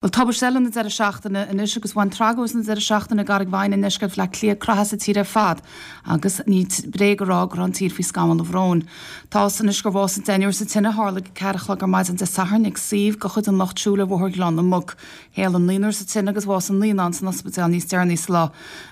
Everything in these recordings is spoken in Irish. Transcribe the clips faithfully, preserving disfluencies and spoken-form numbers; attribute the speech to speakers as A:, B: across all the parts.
A: Bhuel, tubaiste eile na deireadh seachtaine anois agus bhain tragóid na deireadh seachtaine i gCarraig Mhaighin i ndeisceart Bhaile Átha Cliath croitheadh as an tír ar fad agus ní bréag a rá go raibh an tír faoi scamall an bhróin. Tá fhios anois gur bhásaigh deichniúr sa tine a tharla ag a ceathair a chlog ar maidin Dé Sathairn ag suíomh de chuid an Lucht Siúil ar Bhóthar Ghleann na Muc. Éalaigh naonúr sa tine agus bhásaigh naíonán san ospidéal níos deireanaí sa lá.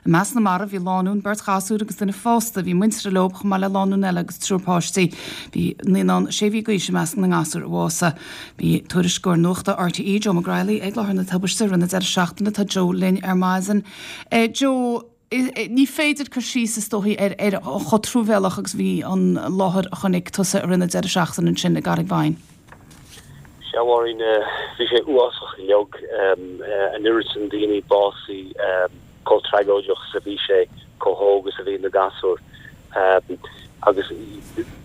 A: I measc na marbh bhí lánúin, beirt ghasúr agus duine fásta a bhí muinteartha leo chomh maith le lánúin eile agus triúr páistí. Bhí naíonán sé mhí d'aois i measc na ngasúr a bhásaigh. Bhí tuairisceoir nuachta RTÉ Joe McGriley ag láthair na tubaiste i rith na deireadh seachtaine tá Joe linn ar maidin. Eh, Joe, ní féidir cur síos is dóichí ar ar chomh truamhéalach agus bhí an láthair a chonaic tusa i rith na deireadh seachtaine ansin i gCarraig Mhaighin.
B: Sea, Mháirín, bhí sé uafásach uilig an oiread sin daoine básaithe chomh tragóideach is a bhí sé chomh hóg is a bhí na gasúir agus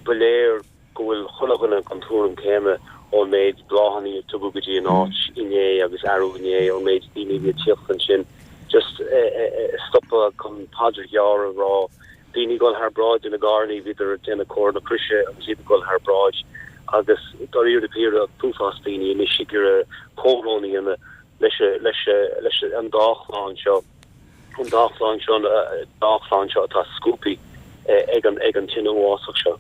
B: ba léir go bhfuil chuile dhuine den tuairim céanna ón méid bláthanna a tugadh go dtí an áit inné agus arú inné ón méid daoine a bhí ag tíocht ansin just stopadh chun paidir ghearr a rá daoine ag dul thar bráid ina gcarranna bhíodar ag déanamh comhartha na croise agus iad ag dul thar bráid agus dáiríre píre an t-uafás daoine anois ag iarraidh comhbhrón a dhéanamh leis leis leis an dá chlann seo. An dá chlann seo dá chlann seo atá scuabtha ag an ag an tine uafásach seo.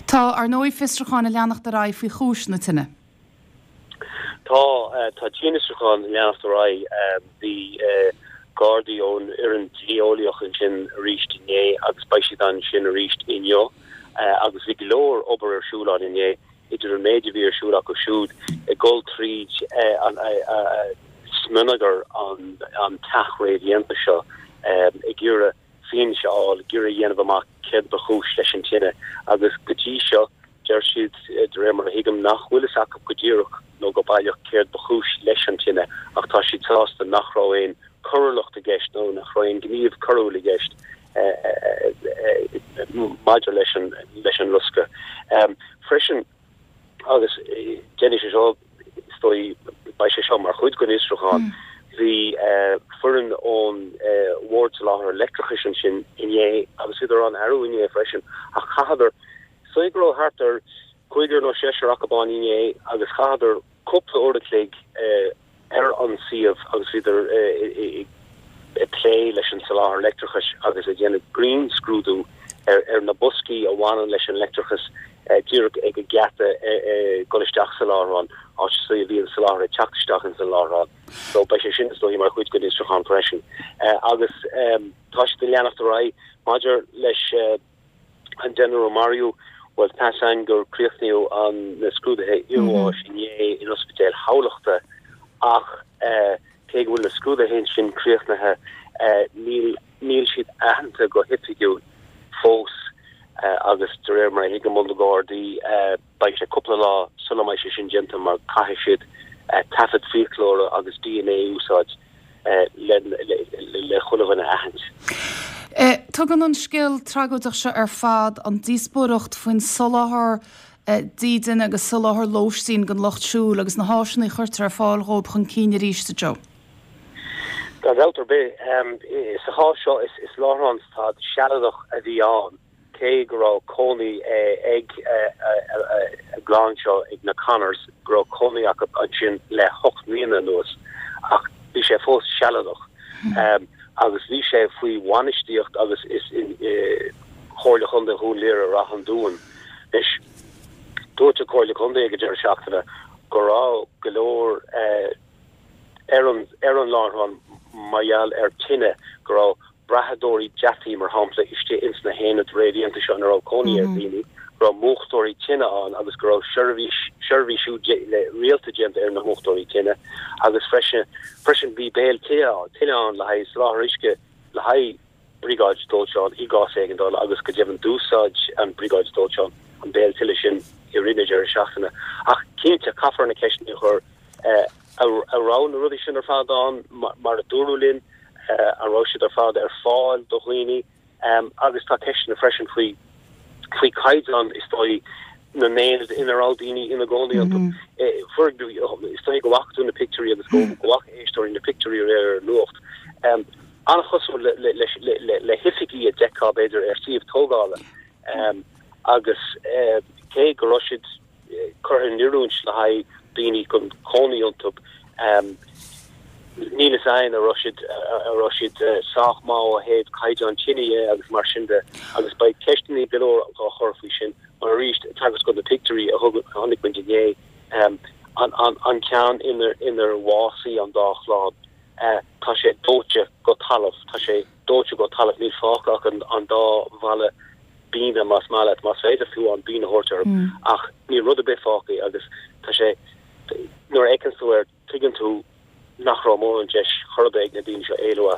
A: Tá ar ndóigh fiosrúcháin ag leanacht ar aghaidh faoi chúis na tine.
B: Tá tá dianfhiosrúchán ag leanacht ar aghaidh bhí Gardaí ón fhoireann dlí-eolaíoch ansin arís inné agus beidh siad ansin arís inniu agus bhí go leor obair ar siúl ann inné idir an méid a bhí ar siúl acu siúd ag dul tríd an smionagar an an teach réamhdhéanta seo ag iarraidh fianaise a fháil, ag iarraidh a dhéanamh amach céard ba chúis leis an tine agus go dtí seo deir siad de réir mar a thuigim nach bhfuil fhios acu go díreach nó go baileach céard ba chúis leis an tine ach tá siad sásta nach raibh aon choiriúlacht i gceist nó nach raibh aon ghníomh coiriúil i gceist maidir leis an leis an loscadh. Freisin agus déanfaidh sé seo is dóigh beidh sé seo mar chuid den fhiosrúchán bhí foireann ón Bhord Soláthair Leictreachais ansin inné agus bhíodar ann arú inné freisin ach chaitheadar is dóigh go raibh thart ar cúigear nó seisear acu ann inné agus chaitheadar cúpla uair a chloig ar an suíomh agus bhíodar ag plé leis an soláthar leictreachais agus ag déanamh grinnscrúdú ar ar na boscaí a bhaineann leis an leictreachas díreach ag an geata dul isteach sa láithreán, áit is dóigh a bhí an soláthar ag teacht isteach ins an láithreán. So beidh sé sin is dóigh mar chuid den fhiosrúchán freisin. Agus tá siad ag leanacht ar aghaidh maidir leis an deichniúr a maraíodh, bhuel tá 'fhios a'inn gur críochnaíodh an na scrúduithe iarbháis inné in Ospidéal Thamhlachta ach cé go bhfuil na scrúduithe sin críochnaithe níl níl siad aitheanta go hoifigiúil fós agus de réir mar a thuigim ó na Gardaí beidh sé cúpla lá sula mbeidh sé sin déanta mar caithfidh siad taifead fiaclóra agus DNA a úsáid le le chuile dhuine a aithint.
A: Tugann an scéal tragóideach seo ar fad an díospóireacht faoin soláthar dídine agus soláthar lóistín don lucht siúil agus na háiseanna a chuirtear ar fáil dhóibh chun cinn arís, a Joe.
B: Gan dabht ar bith. Sa chás seo is láithreán stad sealadach a bhí ann cé go raibh cónaí ag an gclann seo, ag na Connors, go raibh cónaí acu ansin le hocht mbliana anuas ach bhí sé fós sealadach agus bhí sé faoi bhainistíocht agus is Chomhairle Chontae Dhún Laoghaire-Rath an Dúin. Anois, dúirt an Chomhairle Contae ag an deireadh seachtaine go raibh go leor ar an ar an láithreán mar gheall ar tine, go raibh brathadóirí deataí, mar shampla, istigh ins na haonaid réamhdhéanta seo ina raibh cónaí ar dhaoine, go raibh múchtóirí tine ann agus go raibh seirbhís seirbhísiú rialta déanta ar na múchtóirí tine agus freisin freisin bhí béal tine ann le haghaidh soláthar uisce le haghaidh briogáid dóiteáin i gcás éigeandála agus go deimhin d'úsáid an bhriogáid dóiteáin an béal tine sin i rith na deireadh seachtaine. Ach cinnte, caithfear na ceisteanna a chur, an raibh na rudaí sin ar fad ann mar a dúradh linn? An raibh siad ar fad ar fáil do dhaoine? Agus tá ceisteanna freisin faoi faoi chaighdeán, is dóigh, na n-aonad ina raibh daoine ina gcónaí iontu. Is dóigh go bhfaca tú na pictiúirí agus go bhfaca éisteoirí na pictiúirí aréir ar an nuacht. An-chosúil le hoifigí a d'fheicfeá, b'fhéidir, ar suíomh tógála agus cé go raibh siad curtha in oiriúint le haghaidh daoine chun cónaí iontu, Níl a fhios againn an raibh siad an raibh siad sách maith ó thaobh caighdeán tine dhe agus mar sin de agus beidh ceisteanna go leor á chur faoi sin mar arís tagairt do na pictiúirí a thug a chonaic muid inné an an an ceann inar inar bhásaigh an dá chlann tá sé dóite go talamh tá sé dóite go talamh níl fágtha ach an an dá bhalla bíne más maith leat más féidir fiú an bíne a thabhairt orthu ach níl rud ar bith fágtha agus tá sé nuair a fheiceann tú air tuigeann tú nach raibh mórán deis chor ar bith ag na daoine seo éalú as.